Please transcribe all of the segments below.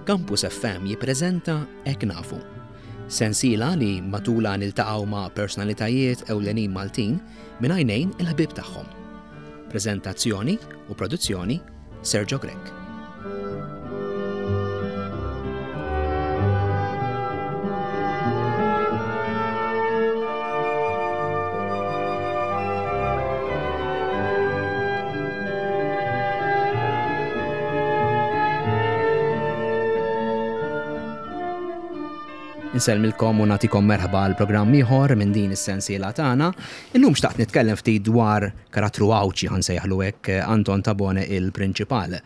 Campus FM jippreżenta Hekk Nafu. Sensiela li matulha niltaqgħu ma' personalitajiet ewlenin Maltin minn għajnejn il-ħbieb tagħhom. Preżentazzjoni u produzzjoni Sergio Grech. Insellmilkom u nagħtikom merħba għal programm ieħor minn din is-sensiela tagħna. Illum xtaqt nitkellem ftit dwar karattru Għawdxi ħa nsejjaħlu hekk Anton Tabone il-Prinċipal.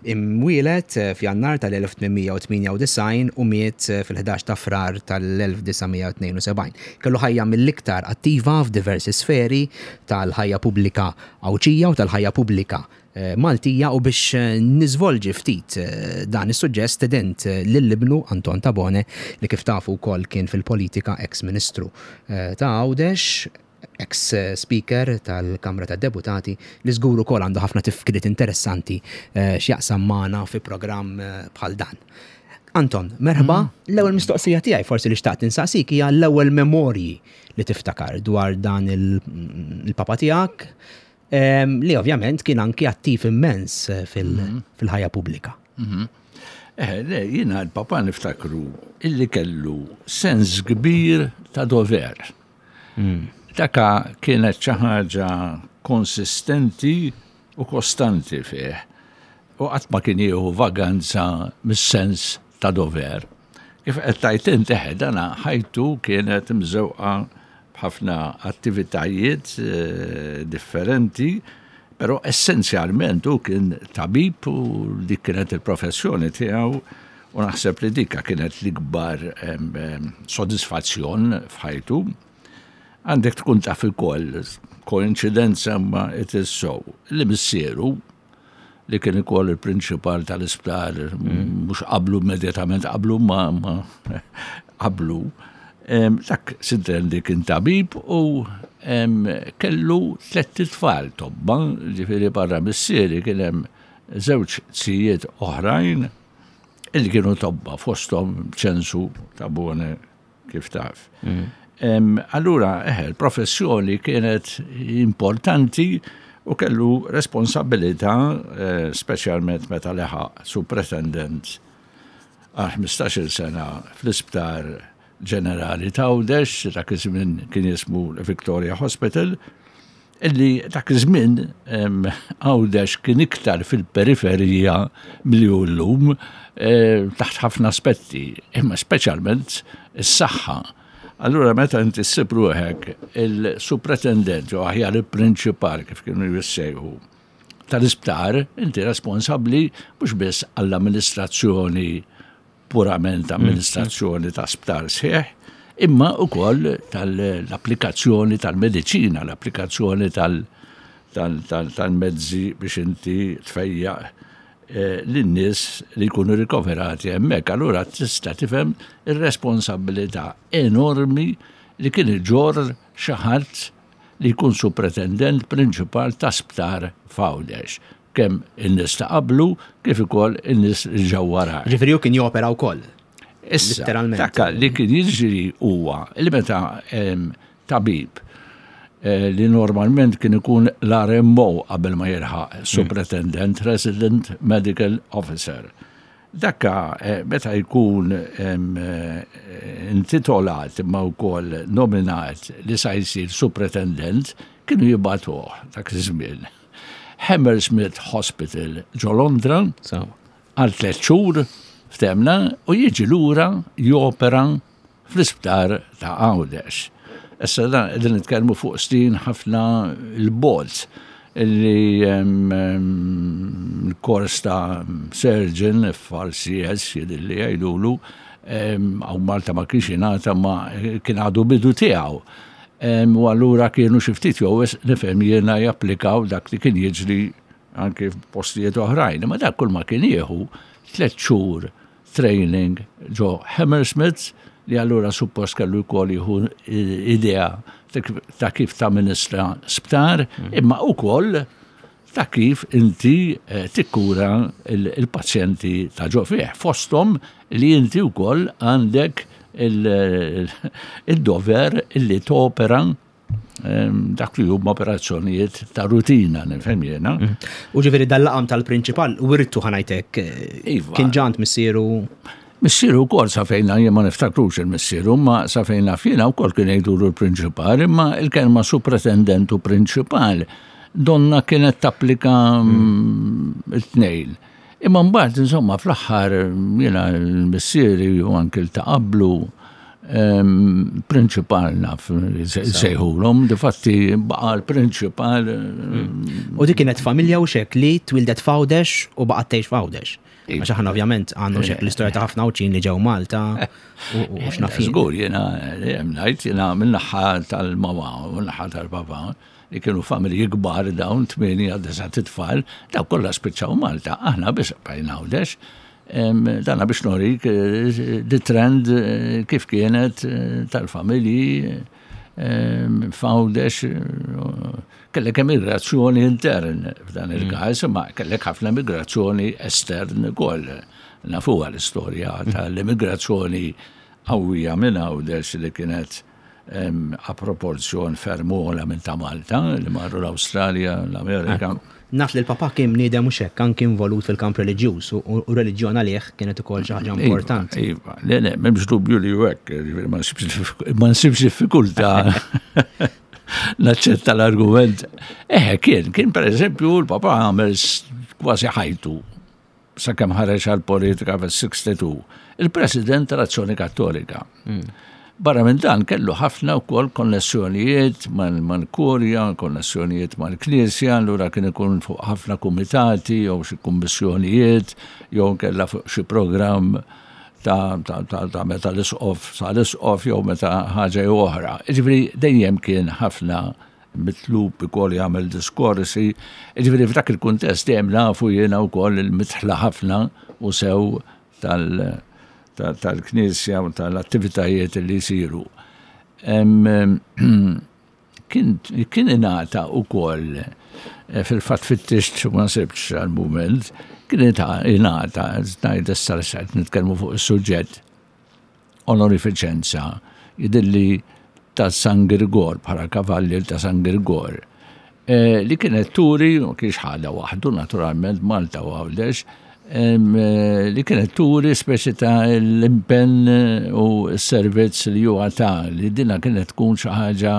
Imwieled f'Jannar tal-1898 u miet fil-11 ta' Frar tal-1972. Kellu ħajja mill-iktar attiva f'diversi sferi tal-ħajja pubblika Għawdxija u tal-ħajja pubblika Maltija u biex niżvolġi ftit dan is-suġġett stedint lil ibnu Anton Tabone li kif tafu wkoll kien fil-politika eks Ministru ta' Għawdex, eks Speaker tal-Kamra tad-Deputati li żgur ukoll għandu ħafna tifkiriet interessanti x'jaqsam magħna fi programm bħal dan. Anton, merħba. L-ewwel mistoqsija tiegħi forsi li xtaqt insaqsik hija l-ewwel memorji li tiftakar dwar dan il-papa tiegħek li ovvjament kien anki attiv immens fil-ħajja pubblika. Eh, le, jiena l-papa niftakru illi kellu sens kbir ta' dover. Daka kienet xi ħaġa konsistenti u kostanti fih. U qatt ma kien jieħu vaganza mis-sens ta' dover. Kif qed tgħid int eħe dana ħajtu kienet imżewqa b'ħafna attivitajiet eh, differenti, però essenzjalment hu kien tabib u dik kienet il-professjoni tiegħu u naħseb li dika kienet l-ikbar sodisfazzjon f'ħajtu. Għandek tkun taf ukoll, koinċidenza ma it is so, li missieru li kien ukoll il-prinċipal tal-isptar, mhux qablu immedjatament qablu ma qablu. Dak sintendi kien tabib u kellu tlett itfal tobba, ġifieri barra missieri kien hemm żewġ zijiet oħrajn illi kienu tobba fosthom Ċensu Tabone kif taf. Mm. Allura, eħe, l-professjoni kienet importanti u kellu responsabilità, eh, speċjalment meta leħaq supretendent għal 15-il sena fl-isptar ġenerali ta' Għawdex, dak iż-żmien kien jismu Victoria Hospital, illi dak iż-żmien Għawdex kien iktar fil-periferija milli hu llum eh, taħt ħafna aspetti, imma speċjalment is-saħħa. Allura meta inti ssib ruħek il-supretendent jew aħjar il-prinċipal kif kienu jissejħu tal-isptar, inti responsabbli mhux biss għall-amministrazzjoni purament amministrazzjoni ta' sptar sħiħ, imma wkoll tal-applikazzjoni tal-mediċina, l-applikazzjoni tal-mezzi biex inti tfejjaq eh, lin-nies li jkunu rikoverati hemmhekk. Allura tista' tifhem ir-responsabilità enormi li kien iġorr xi ħadd li jkun supretendent prinċipal ta' sptar f'Għawdex. Kemm in-nies ta' qablu kif ukoll in-nies li ġew warajh. Ġifieri hu kien jopera wkoll. Issa, Letteralment. Dak li kien jiġri huwa li meta tabib eh, li normalment kien ikun l-RMO qabel ma jilħaq Superintendent Resident Medical Officer. Dakka eh, meta jkun eh, intitolat imma wkoll nominat li sa jsir Superintendent kienu jibgħatuh dak iż-żmien. Hammersmith Hospital ġo Londra għal tlet xhur ftemna u jiġi lura jopera fl-isptar ta' Għawdex. Issa dan qegħdin nitkellmu fuq snin ħafna l-bogħod li l-kors ta' surgeon FRCS jidhirli jgħidulu hawn Malta ma kienx jingħata ma kien għadu bidu tiegħu. U allura kienu xi ftit jew wisq nifhem jiena japplikaw dak li kien jiġri anki f'postijiet oħrajn. Imma dak kull ma kien jieħu tliet xhur training ġo Hammersmith li allura suppost kellu jkoll jieħu idea ta' kif tamministra sptar, mm. imma ukoll. ta' kif inti eh, tikkura il-pazjenti ta' ġo fih. Fosthom li inti wkoll għandek il-dover illi topera ehm, dak li huma operazzjonijiet ta' rutina, nifhem jiena. Mm. U ġifieri dal-laqam tal-prinċipal wirtu ħanajtek eh, iva. kien ġant missieru. Missieru wkoll sa fejna jien ma niftakrux il-missieru, ma sa fejna fjena wkoll kien jgħidulu l-prinċipal, imma il-kelma supretendent u prinċipal donna kienet tapplika mm. it-tnejn. Imma mbagħad insomma fl-aħħar jiena l-missieri u anke ta' qablu prinċipal naf sejħulhom, difatti baqa' l-prinċipal. Mm. U dik kienet familja u xek li twildet f'Għawdex u baqgħet tgħix f'Għawdex. Iva. Għax aħna ovvjament għandu xek l-istorja ta' ħafna Għawdxin li ġew Malta u x'naf. Żgur jiena ngħid jiena min-naħa tal-mama u n-naħa tal-papa li kienu familji kbar dawn, 8, 9 tfal, daw kollha spiċċaw Malta, aħna biss bqajna Għawdex. Dana biex norik eh, di trend eh, kif kienet eh, tal-familji f'Għawdex kellek emigrazzjoni intern f'dan mm. il-każ, ma kellek ħafna emigrazzjoni estern ukoll. Nafuha l-istorja mm. tal-immigrazzjoni qawwija minn Għawdex li kienet a proporzjon ferm ogħla minn ta' Malta, li marru l-Awstralja, l-Amerika. Naf li l-papà kien bniedem mhux hekk, anki involut fil-kamp reliġjuż u r-reliġjon għalih kienet ukoll xi ħaġa iva, importanti. Iva, le, le, m'hemmx dubju li hu hekk, ma nsibx diffikultà naċċetta l-argument. Eħe, kien, kien pereżempju l-papà għamel kważi ħajtu sakemm ħareġ għall-politika fis-62, il-President tal-Azzjoni Kattolika. Hmm. Barra minn dan kellu ħafna wkoll konnessjonijiet mal-kurja, konnessjonijiet mal-knisja, allura kien ikun fuq ħafna kumitati jew xi kummissjonijiet jew kella fuq xi programm ta', ta, ta, ta meta l-isqof sa l-isqof jew meta ħaġa jew oħra. Ġifieri dejjem kien ħafna mitlub ukoll jagħmel diskorsi. Jiġifieri f'dak il-kuntest dejjem nafu jiena wkoll il-midħla ħafna u sew tal-Knisja u tal-attivitajiet li jsiru. Kien ingħata wkoll eh, fil-fatt fittixt ma sibx għal-mument, kien ingħata, ngħid issa nitkellmu fuq is-suġġett, onorifiċenza, jidhirli ta' San Girgor, bħala kavallier ta' San Girgor, eh, li kienet turi, ma kienx ħadha waħdu naturalment Malta u Għawdex, eh, li kienet turi speċi ta' l-impenn u s-servizz li huwa ta' li dina kienet tkun xi ħaġa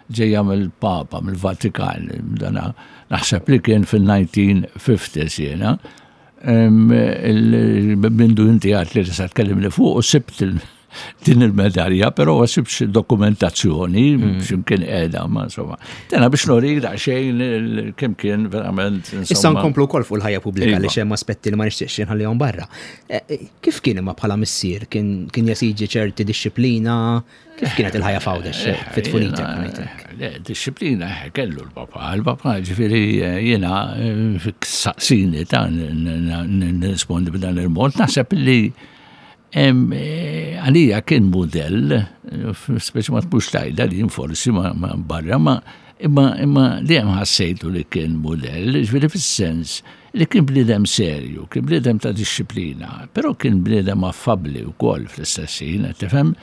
ġejja mill-Papa, mill-Vatikan, dana naħseb li kien fil-1950s jiena. Mindu inti għat li tista' tkellimni fuq u sibt din il-medalja, però ma sibx dokumentazzjoni mm. x'imkien qiegħda, ma insomma. Tena biex norik daqsxejn kemm kien verament. Issa nkomplu wkoll fuq il-ħajja pubblika li xemm aspetti li ma nixtieqx inħallihom barra. Eh, eh, kif kien imma bħala missier? Kien jesiġi ċerti dixxiplina? Kif kienet il-ħajja f'Għawdex eh, fit-tfulitek? Le, disciplina eh, kellu l-papa. Il-papa ġifieri eh, jiena saqsini ta' nirrispondi b'dan il-mod. Naħseb li għalija kien mudell, speċi ma tmux tajda li forsi ma barra, ma imma imma dejjem ħassejtu li kien mudell, ġifieri fis-sens li kien bniedem serju, kien bniedem ta' dixxiplina, però kien bniedem affabbli wkoll fl-istess ħin, qed tifhem?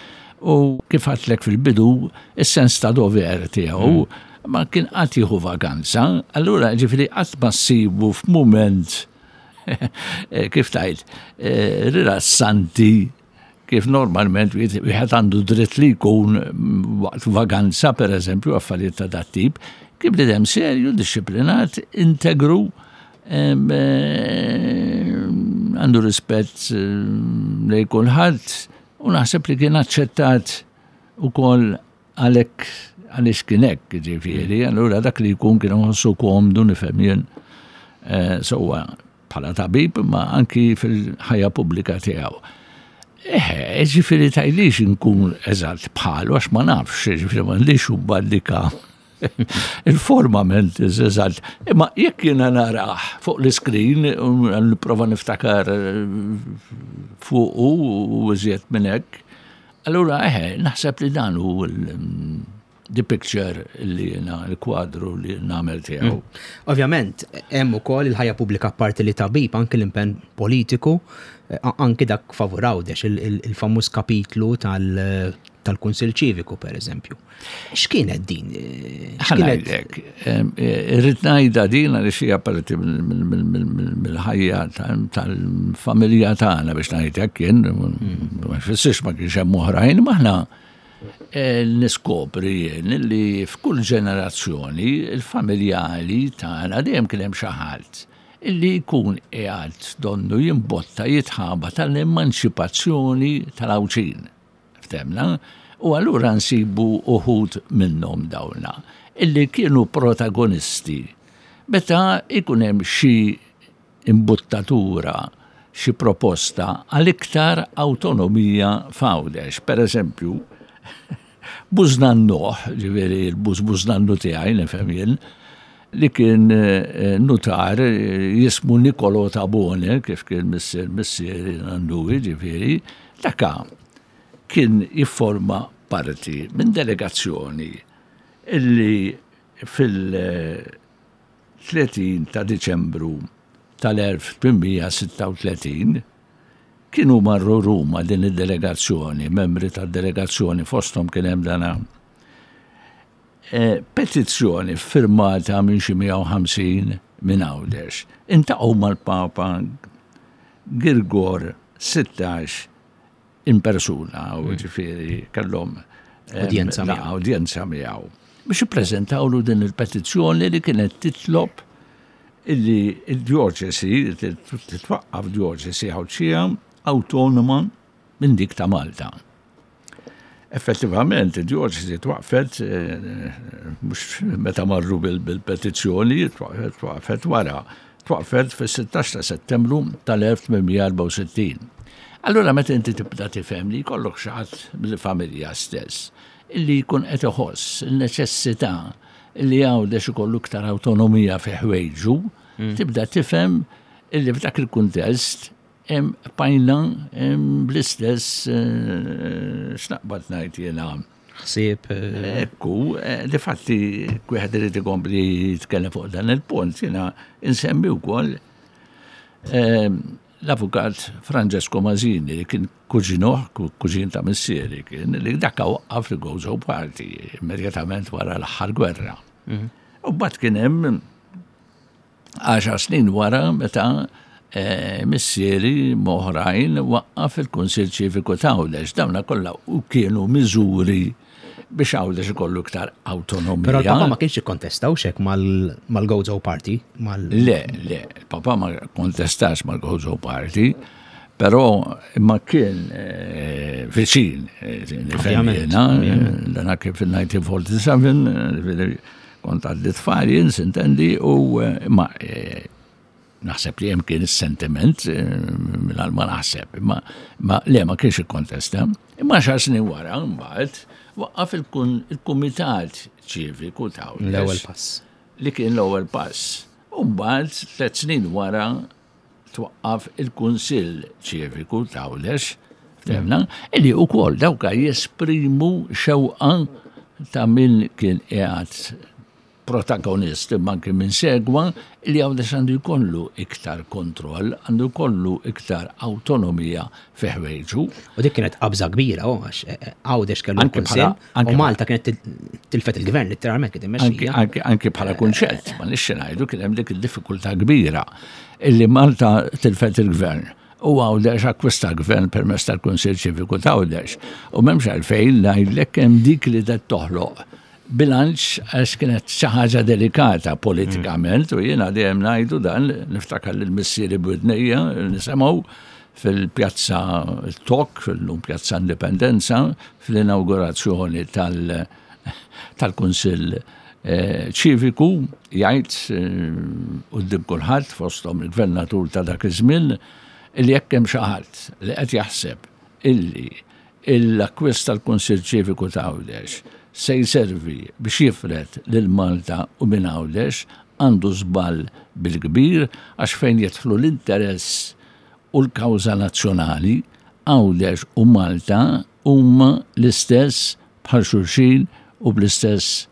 U kif għadtlek fil-bidu, is-sens ta' dover tiegħu mm. ma kien qatt jieħu vakanza, allura ġifieri qatt ma ssibu f'mument eh, kif tajt, eh, rilassanti kif normalment wieħed għandu dritt li jkun waqt vaganza, per eżempju, affarijiet ta' dat tip, kien bniedem serju, dixxiplinat, integru, eh, għandu rispett eh, lejn kulħadd u naħseb li kien aċċettat ukoll għalhekk għaliex kien hekk, ġifieri, allura dak li jkun kien iħossu komdu nifhem jien eh, sewwa bħala tabib ma anki fil-ħajja pubblika tiegħu. Eħe, ġifieri tajlix inkun eżatt bħalu għax ma nafx, ġifieri m'għandix ubballika il-forma mentis eżatt. Imma jekk jiena narah fuq l-iskrin, nipprova niftakar eh, fuqu u iżjed minn hekk, allura eħe, naħseb li dan hu the picture li jiena l-kwadru li nagħmel tiegħu. Ovvjament, hemm ukoll il-ħajja pubblika apparti li tabib anki l-impenn politiku, anki dak favur Għawdex, il-famuż kapitlu tal-Kunsill Ċiviku, per eżempju. X'kienet din? X'kienet? Irrid ngħidha din għaliex hija parti mill-ħajja tal-familja tagħna biex ngħid hekk kien, ma jfissirx ma kienx hemm oħrajn, ma aħna niskopri jien li f'kull ġenerazzjoni il-familjali tagħna dejjem kien hemm xi ħadd illi jkun qiegħed donnu jimbotta jitħaba tal-emanċipazzjoni tal-Għawdxin. Ftemna? U allura nsibu uħud minnhom dawna illi kienu protagonisti meta jkun hemm xi imbuttatura, xi proposta għal iktar awtonomija f'Għawdex. Per eżempju, bużnannuh, ġifieri l-bużbużnannu tiegħi nifhem jien, li kien eh, nutar eh, jismu Nicolo Tabone, kif kien missier missieri nannu, ġifieri, daka kien jifforma parti minn delegazzjoni illi fil- 30 ta' Diċembru tal-1836 kienu marru Ruma din id-delegazzjoni, membri tad-delegazzjoni fosthom kien hemm dana e, petizzjoni firmata minn xi 150 minn Għawdex. Intaqgħu mal-Papa Girgor 16 in persuna, u mm. ġifieri kellhom eh, udjenza miegħu. Udjenza miegħu. Biex ippreżentawlu din il-petizzjoni li kienet titlob illi il-djoċesi, titwaqqaf djoċesi Għawdxija awtonoma minn dik ta' Malta. Effettivament, id-djoċesi twaqfet eh, mhux meta marru bil-petizzjoni, twaqfet wara, twaqfet fis-16 ta' Settembru tal-1864. Allura meta inti tibda tifhem li jkollok xi ħadd mill-familja stess illi jkun qed iħoss il-neċessità li Għawdex ikollu iktar awtonomija fi ħwejġu, mm. tibda tifhem illi f'dak il-kuntest Hemm bqajna bl-istess eh, x'naqbad ngħid jiena. Ħsieb. Eh, Ekku, eh, difatti wieħed irid ikompli jitkellem fuq dan il-punt, jiena insemmi wkoll l-avukat Francesco Mazzini li kien kuġinuh, kuġin ta' missieri kien, li dakka waqqaf li Gozo Party immedjatament wara l-aħħar gwerra. Mhm. U bat kien hemm Għaxar snin wara meta eh, missieri m'oħrajn waqqaf il-Kunsill Ċiviku ta' Għawdex. Dawna kollha u kienu miżuri biex Għawdex ikollu iktar awtonomija. Però l-papa ma kienx ikkontesta u xek mal-Gozo Party? Le, le, il-papa ma kontestax mal-Gozo Party, però imma kien eh, viċin, eh, nifhem jiena, dan kien fil-1947, Kont għaddi tfal jien sintendi u eh, ma eh, naħseb li hemm kien is-sentiment eh, mingħajr ma naħseb, imma ma le ma kienx ikkontesta. Imma xar snin wara mbagħad waqqaf il-kumitat ċiviku ta' L-ewwel pass. Li kien l-ewwel pass. U mbagħad tliet snin wara twaqqaf il-Kunsill Ċiviku ta' Għawdex, ftemna, illi wkoll dawk jesprimu xewqa ta' min kien qiegħed protagonist imma anke min segwa li Għawdex għandu jkollu iktar kontroll, għandu jkollu iktar awtonomija fi ħwejġu. U dik kienet qabża kbira, oh, għax eh, eh, Għawdex kellu kunsill u Malta kienet tilfet il-gvern letteralment kien immexxija. Anke bħala kunċett, ma nixxi ngħidu kien hemm dik id-diffikultà kbira illi Malta tilfet il-gvern u Għawdex akkwista gvern permezz tal-Kunsill Ċiviku ta' Għawdex. U m'hemmx għalfejn ngħidlek hemm dik li qed toħloq bilanċ għax kienet xi ħaġa delikata politikament u jiena dejjem ngħidu dan niftakar lil missieri b'widnejja nisimgħu fil-pjazza Tok, fil-lum pjazza Indipendenza, fl-inawgurazzjoni tal-Kunsill eh, ċiviku jgħid eh, quddiem kulħadd fosthom il-gvernatur ta' dak iż-żmien li jekk hemm xi ħadd li qed jaħseb illi l-akkwist tal-Kunsill Ċiviku ta' Għawdex se jservi biex jifred lil Malta u minn Għawdex għandu żball bil-kbir għax fejn jidħlu l-interess u l-kawża nazzjonali, Għawdex u Malta huma l-istess bħal xulxin u bl-istess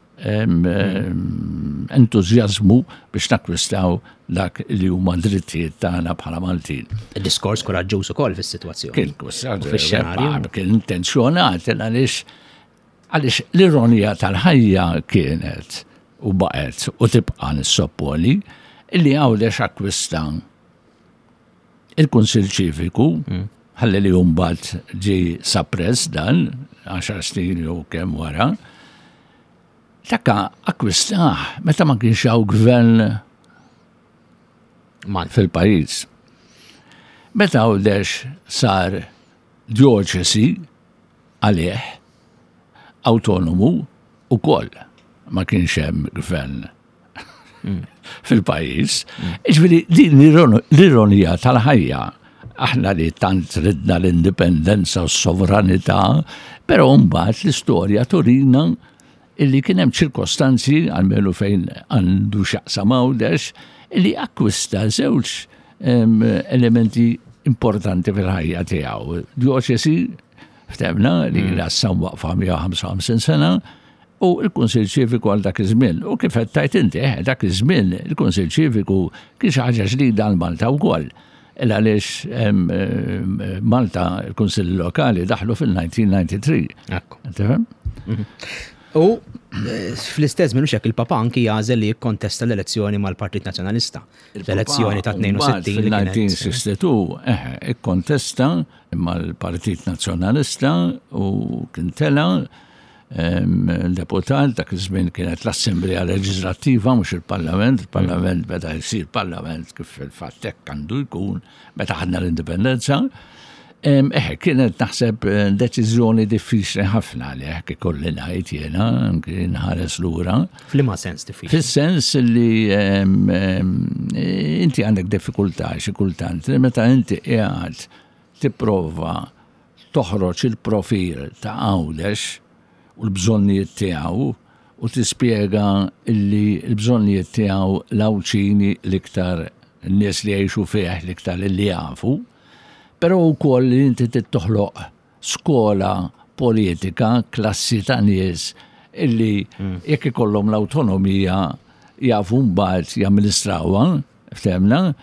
entużjażmu biex nakkwistaw dak li huma drittijiet tagħna bħala Maltin. Diskors kuraġġuż ukoll fis-sitwazzjoni. Kien kien intenzjonat għaliex għaliex l-ironija tal-ħajja kienet u baqgħet u tibqa' nissopponi illi Għawdex akkwista il-Kunsill Ċiviku ħalli li mbagħad ġie suppress dan 10 snin jew kemm wara. Dakka akkwistah meta ma kienx hawn gvern fil-pajjiż. Meta Għawdex sar djoċesi għalih awtonomu ukoll ma kienx hemm gvern fil-pajjiż. Ġifieri din l-ironija tal-ħajja aħna li tant ridna l-indipendenza u s-sovranità, però mbagħad l-istorja turina illi kien hemm ċirkostanzi għalmenu fejn għandu x'jaqsam Għawdex illi akkwista żewġ elementi importanti fil-ħajja tiegħu. Djoċesi ftehmna li mm. issa waqfa 155 sena u l-Kunsill Ċiviku għal dak iż-żmien. U kif qed tajt inti, eh, dak iż-żmien il-Kunsill Ċiviku kien xi ħaġa ġdida għal Malta wkoll. Il għaliex Malta il-Kunsill Lokali daħlu fil-1993. Ekku. Tifhem? Mhm. U eh, fl-istess minn hekk il-Papa anki jagħżel li jikkontesta l-elezzjoni mal-Partit Nazzjonalista. L-elezzjoni ta' 62. Fil-1962, eh, ikkontesta mal-Partit Nazzjonalista u kien tela deputat, dak iż-żmien kienet l-Assemblea Leġislattiva mhux il-Parlament, il-Parlament beda jsir Parlament kif fil-fatt hekk għandu jkun meta ħadna l-indipendenza. Eħe, kienet naħseb eh, deċiżjoni diffiċli ħafna li hekk ikolli ngħid jiena anki nħares lura. F'liema sens diffiċli? Fis-sens li inti għandek diffikultà xi kultant li meta inti qiegħed tipprova toħroġ il-profil ta' Għawdex u l-bżonnijiet tiegħu u tispjega illi l-bżonnijiet tiegħu l-Għawdxini l-iktar n-nies li jgħixu fih l-iktar li jafu, però wkoll li inti trid toħloq skola politika, klassi ta' nies illi mm. jekk ikollhom l-awtonomija jafu mbagħad jamministrawha, Ftemna?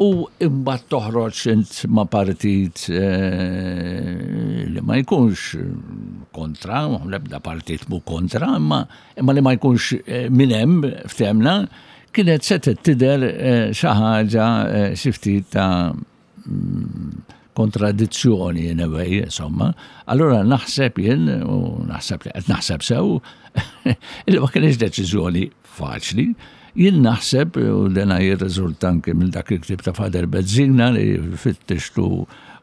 U imbagħad toħroġ int ma' partit eh, li ma jkunx kontra, l-ebda partit mu kontra, imma imma li ma jkunx eh, minn hemm ftemna, kienet se tidher eh, xi ħaġa xi ftit ta' mm, kontradizzjoni in a way, insomma. Allura naħseb jien, u naħseb li qed naħseb sew, il ma kienx deċiżjoni faċli. Jien naħseb, u dena jirriżulta anke minn dak il-ktieb ta' Father Bezzina li fittixtu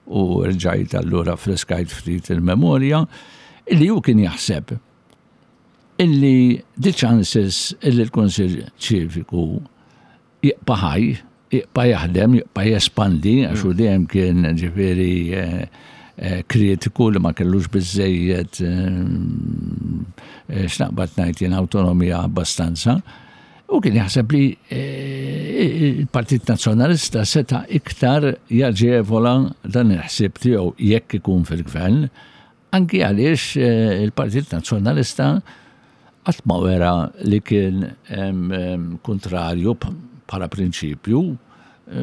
u rġajt allura friskajt ftit il-memorja, illi hu kien jaħseb illi the chances illi l-Kunsill Ċiviku jibqa' ħaj, jibqa' jaħdem, jibqa' jespandi, għax hu dejjem kien ġifieri eh, eh, kritiku li ma kellux biżejjed eh, x'naqbad ngħid jien awtonomija abbastanza. U kien jaħseb li il-Partit Nazzjonalista seta' iktar jaġevola dan il-ħsieb tiegħu jekk ikun fil-gvern, Anki għaliex eh, il-Partit Nazzjonalista qatt ma wera li kien kontrarju bħala prinċipju.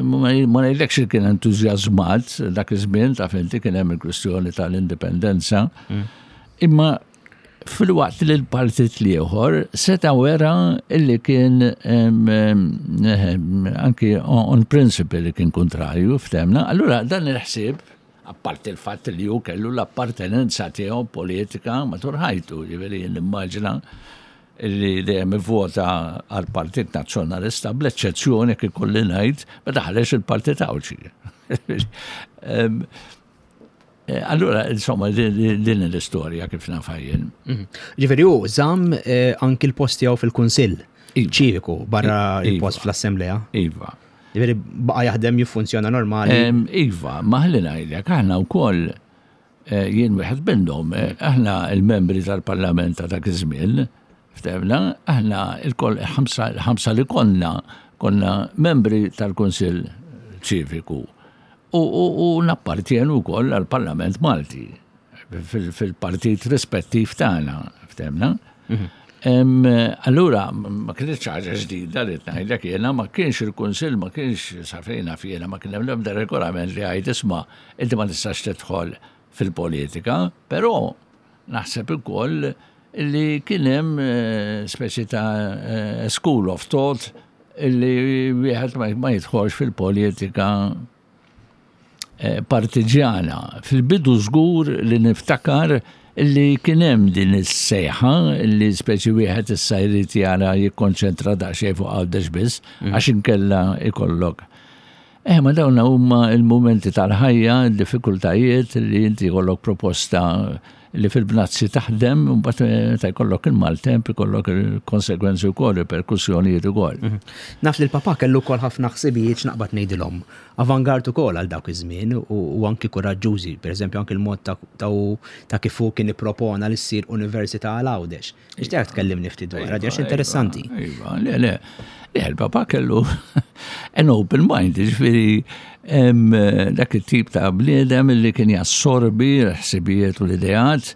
Ma ngħidlekx li kien entużjażmat dak iż-żmien ta' inti kien hemm il-kwistjoni tal-indipendenza. Mm. Imma fil-waqt li l-partit l-ieħor seta' wera illi kien anki on principle li kien kontrarju ftemna. Allura dan il-ħsieb Apparti l-fatt li hu kellu l-appartenenza tiegħu politika matul ħajtu, jiġifieri jien nimmaġina li dejjem ivvota għall-Partit Nazzjonalista bl-eċċezzjoni kif ikolli ngħid meta ħareġ il-Partit Għawdxi. Eh, allura, insomma, din l-istorja kif nafha jien. Mhm. Ġifieri hu żamm eh, anki l-post tiegħu fil-Kunsill iva. ċiviku barra il-post iva. fl-Assemblea. Iva. Ġifieri baqa' jaħdem jiffunzjona normali. Iva, ma ħalli ngħidlek, aħna wkoll eh, jien wieħed minnhom, eh, aħna il-membri tal-Parlament ta' dak iż-żmien, ftehmna, aħna il-ħamsa li konna konna membri tal-Kunsill Ċiviku u nappartjenu wkoll għall-Parlament Malti fil-partit rispettiv tagħna, ftehmna. Allura, ma kienx ħaġa ġdida li ngħidlek jiena, ma kienx il-Kunsill, ma kienx sa fejna fjena, ma kien hemm l-ebda regolament li għajd isma' inti ma tistax tidħol fil-politika, però naħseb ukoll li kien hemm eh, speċi ta' eh, school of thought li wieħed ma jidħolx fil-politika eh, partiġjana. Fil-bidu żgur li niftakar li kien hemm din is-sejħa li speċi wieħed issa jrid jara jikkonċentra daqsxejn fuq Għawdex biss mm. għax inkella ikollok. Eh, ma dawn huma il-mumenti tal-ħajja, il-diffikultajiet li inti jkollok proposta li fil-bnazzi taħdem, mbagħad eh, ta' jkollok il-maltemp, ikollok il-konsegwenzi wkoll, il-perkussjonijiet ukoll. Mhm. Naf li l-papa kellu wkoll ħafna ħsibijiet x'naqbad ngħidilhom. Avangard ukoll għal dawk iż-żmien u anki kuraġġużi, pereżempju anki l-mod ta' kif hu kien ippropona li ssir università għal Għawdex. Nixtieq tkellimni ftit dwar, għax iva, interessanti. Iva, le, le. Le, il-papa kellu an open mind, ġifieri dak it-tip ta' bniedem li kien jassorbi l-ħsibijiet u l-ideat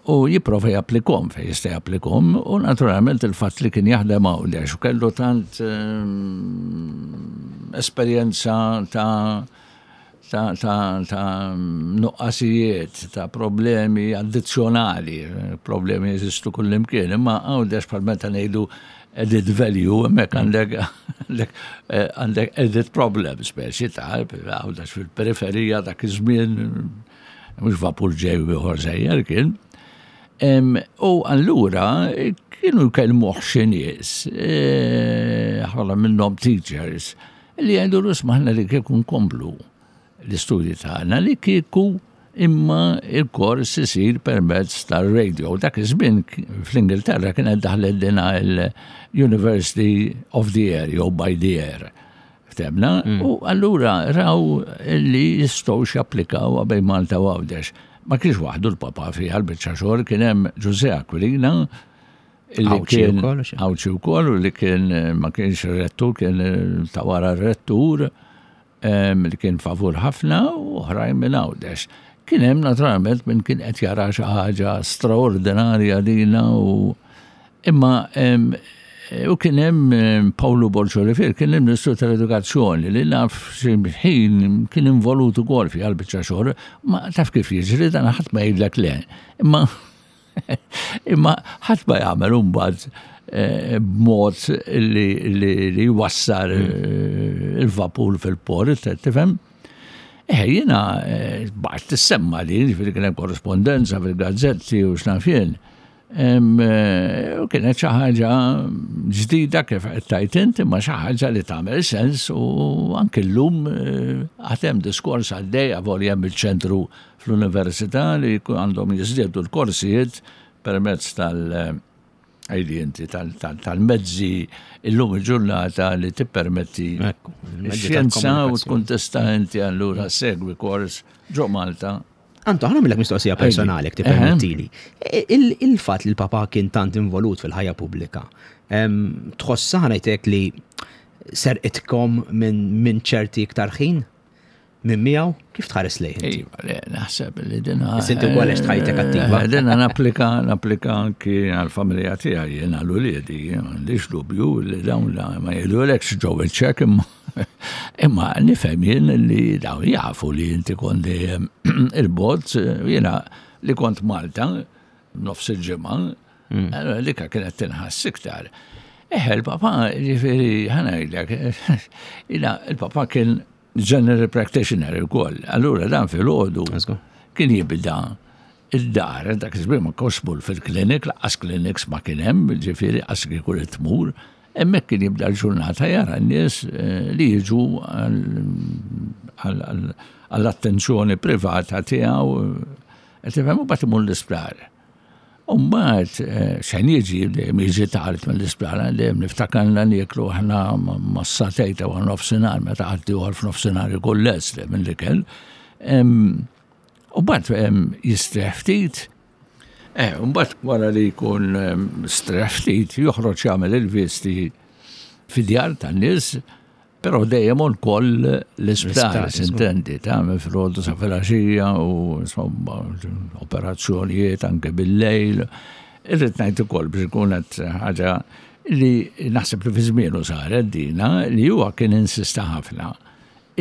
u jipprova japplikom fejn jista' japplikom u naturalment il-fatt li kien jaħdem għawdex u kellu tant esperjenza ta' ta', ta, ta nuqqasijiet, ta' problemi addizzjonali, problemi jeżistu kullimkien, imma għawdex bħal meta ngħidu added value, hemmhekk għandek eh, għandek added problem speċi ta' għawdex fil-periferija dak iż-żmien mhux vapur ġej u ieħor sejjer kien. U allura kienu jkellmuh xi nies, eh, ħafna minnhom teachers, Li jgħidulu isma' aħna li kieku nkomplu l-istudji tagħna li kieku imma il-kors isir permezz tar-radio. Dak iż-żmien fl-Ingilterra kienet daħlet dina l-University of the Air jew by the Air. Ftemna, mm. u allura raw li jistgħu japplikaw bejn Malta u Għawdex. Ma kienx waħdu l-papa fiha l-biċċa xogħol kien hemm Ġużè Aquilina Illi kien Għawdxi wkoll u li kien eh, ma kienx rettur, kien eh, ta' wara rettur li kien favur ħafna u oħrajn minn Għawdex. Kien hemm naturalment minn kien qed jara xi ħaġa straordinarja dina u imma u kien hemm Pawlu Borg Olivier kien il-Ministru tal-Edukazzjoni li naf xi ħin kien involut ukoll fi biċċa xogħol, ma taf kif jiġri dan ħadd ma jgħidlek le. Imma Imma ħadd ma jagħmel imbagħad eh, b'mod li jwassal hmm. eh, il-vapur fil-port, tifhem? Eh, jiena eh, baqgħet tissemma li ġifieri kien hemm korrespondenza fil-gazzetti u x'naf jien. U kienet xi ħaġa ġdida kif qed tgħid int, imma xi ħaġa li tagħmel sens u anke llum għad hemm diskors għaddej avolja hemm il-ċentru fl-università li għandhom jiżdiedu l-korsijiet permezz tal- għajli inti tal-mezzi illum il-ġurnata li tippermetti xjenza u tkun tista' inti allura segwi kors ġo Malta. Anto, ħana millek mistoqsija personali, jekk tippermettili. Il-fatt li l-papa kien tant involut fil-ħajja pubblika, tħossha ħanajtek li serqitkom minn ċerti iktar ħin? Minn miegħu, kif tħares lejh inti? Iva, le, naħseb li dina. Inti wkoll għext ħajtek attiva. Eh, dina napplika, napplika anki għall-familja tiegħi jien għal uliedi, m'għandix dubju li dawn ma jgħidulekx ġew iċ-ċek imma imma nifhem jien li dawn jafu li inti kont dejjem il-bogħod jiena li kont Malta nofs il-ġimgħa, mm. allura dika kienet tinħass iktar. Eħe, il-papa, ġifieri, ħanajdlek, il-papa kien general practitioner ukoll. Allura dan filgħodu kien jibda id-dar, dak iż-żmien ma konx tmur fil-klinik, laqqas clinics ma kien hemm, ġifieri qas kieku li tmur, hemmhekk kien jibda l-ġurnata jara n-nies eh, li jiġu għall-attenzjoni privata tiegħu, qed tifhem u bagħad imur l-isptar. U mbagħad eh, xejn jiġi dejjem jiġi tard mill-isptar, dejjem niftakarna nieklu aħna mas-satej ta' wara nofsinhar meta ħadd ieħor f'nofsinhar ikun lest minn l-ikel. U mbagħad jistrieħ ftit. Eh, mbagħad wara li jkun strieħ ftit joħroġ jagħmel il-visti fid-djar tan-nies Però dejjem on koll l-isptar, sintendi, ta' minn filgħodu sa filgħaxija u insomma operazzjonijiet anke bil-lejl. Irrid ngħid ukoll biex ikun qed ħaġa li naħseb li fi żmienu saret dina li huwa kien insista ħafna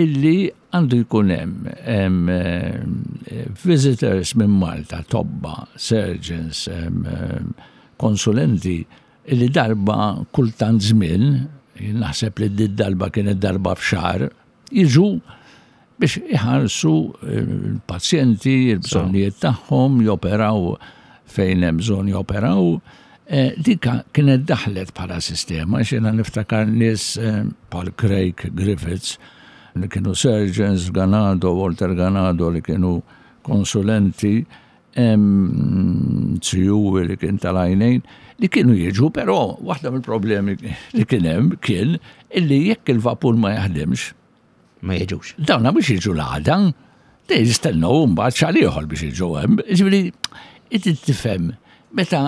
illi għandu jkun hemm visitors minn Malta, tobba, surgeons, konsulenti illi darba kultant żmien, naħseb li di darba kienet darba f'xahar, jiġu biex iħarsu l-pazjenti, il-bżonnijiet tagħhom, joperaw fejn hemm bżonn joperaw. Eh, dika kienet daħlet bħala sistema, xena niftakar nies eh, bħal Craig Griffiths, li kienu surgeons, Ganado, Walter Ganado, li kienu konsulenti, Zijuwi li kien tal-għajnejn, li kienu jiġu, però waħda mill-problemi li kien hemm kien illi jekk il-vapur ma jaħdimx, Ma jiġux. Dawna biex jiġu l-għada, dej jistennew mbagħad xahar ieħor biex jiġu hemm. Ġifieri, inti tifhem meta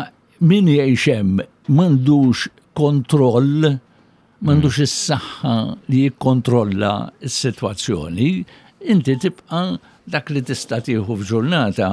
min jgħix hemm m'għandux kontroll, m'għandux mm. is-saħħa li jikkontrolla s-sitwazzjoni, inti tibqa' dak li tista' tieħu f'ġurnata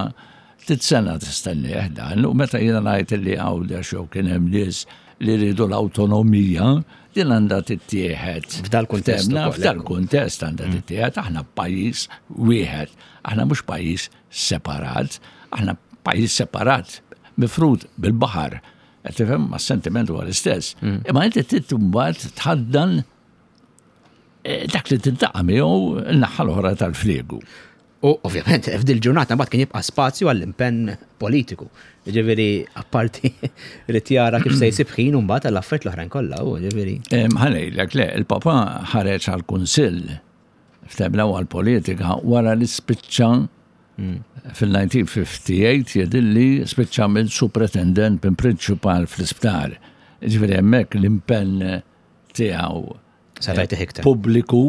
titsena tistennieh dan u meta jiena ngħid li Għawdex jew kien hemm nies li rridu l-awtonomija, din għandha tittieħed. F'dal-kuntest. F'dal-kuntest għandha mm. tittieħed aħna pajjiż wieħed, aħna mhux pajjiż separat, aħna pajjiż separat mifrud bil-baħar. Qed tifhem ma' sentiment huwa l-istess. Mm. Imma inti trid imbagħad tħaddan eh, dak li tintaqa' miegħu n-naħa l-oħra tal-fliegu. U ovvjament f'dil ġurnata mbagħad kien jibqa' spazju għall-impenn politiku. Ġifieri apparti rid jara kif se jsib ħin u mbagħad għall-affarijiet l-oħrajn kollha, u ġifieri. Ħanejlek le, il-papa ħareġ għall-kunsill ftemna għall-politika wara li spiċċa hmm. fil-1958 jedilli spiċċa minn supretendent minn prinċipal fl-isptar. Ġifieri hemmhekk l-impenn tiegħu Pubbliku,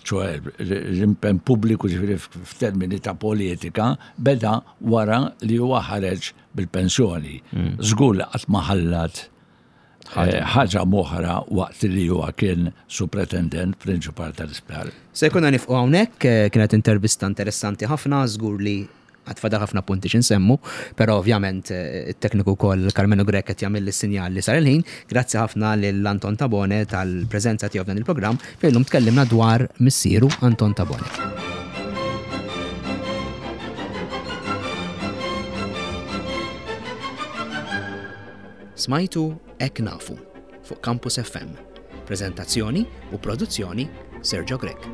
ċoħe l-impenn pubbliku ġifieri f'termini ta' politika beda wara li huwa ħareġ bil-pensjoni. Mm. Żgur li qatt ma ħallat eh, ħaġa moħra waqt li huwa kien supretendent prinċipal tal-isptar. Se jkunna nifqu hawnhekk, eh, kienet intervista interessanti ħafna, żgur li Għad fadal ħafna punti x'insemmu, però ovvjament it-tekniku wkoll Karmenu Grech qed jagħmilli s-sinjal li sar il-ħin. Grazzi ħafna lil Anton Tabone tal-preżenza tiegħu f'dan il-programm fejn illum tkellimna dwar missieru Anton Tabone. Smajtu Hekk Nafu fuq Campus FM. Preżentazzjoni u produzzjoni Sergio Grech.